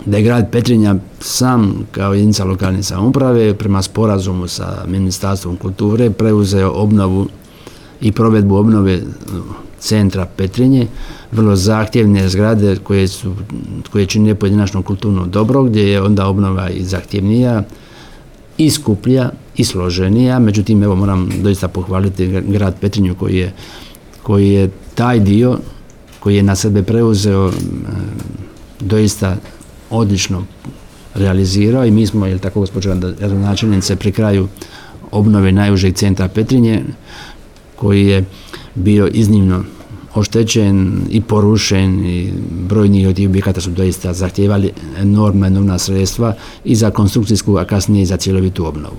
da je grad Petrinja sam kao jedinica lokalne samouprave prema sporazumu sa Ministarstvom kulture preuzeo obnovu i provedbu obnove centra Petrinje, vrlo zahtjevne zgrade koje čine pojedinačno kulturno dobro, gdje je onda obnova i zahtjevnija, i skuplja, i složenija. Međutim, evo moram doista pohvaliti grad Petrinju koji je taj dio koji je na sebe preuzeo doista odlično realizirao i mi smo, jel tako gospođo gradonačelnice, pri kraju obnove najužeg centra Petrinje koji je bio iznimno oštećen i porušen i brojni od tih objekata su doista zahtijevali enormna sredstva i za konstrukcijsku, a kasnije i za cjelovitu obnovu.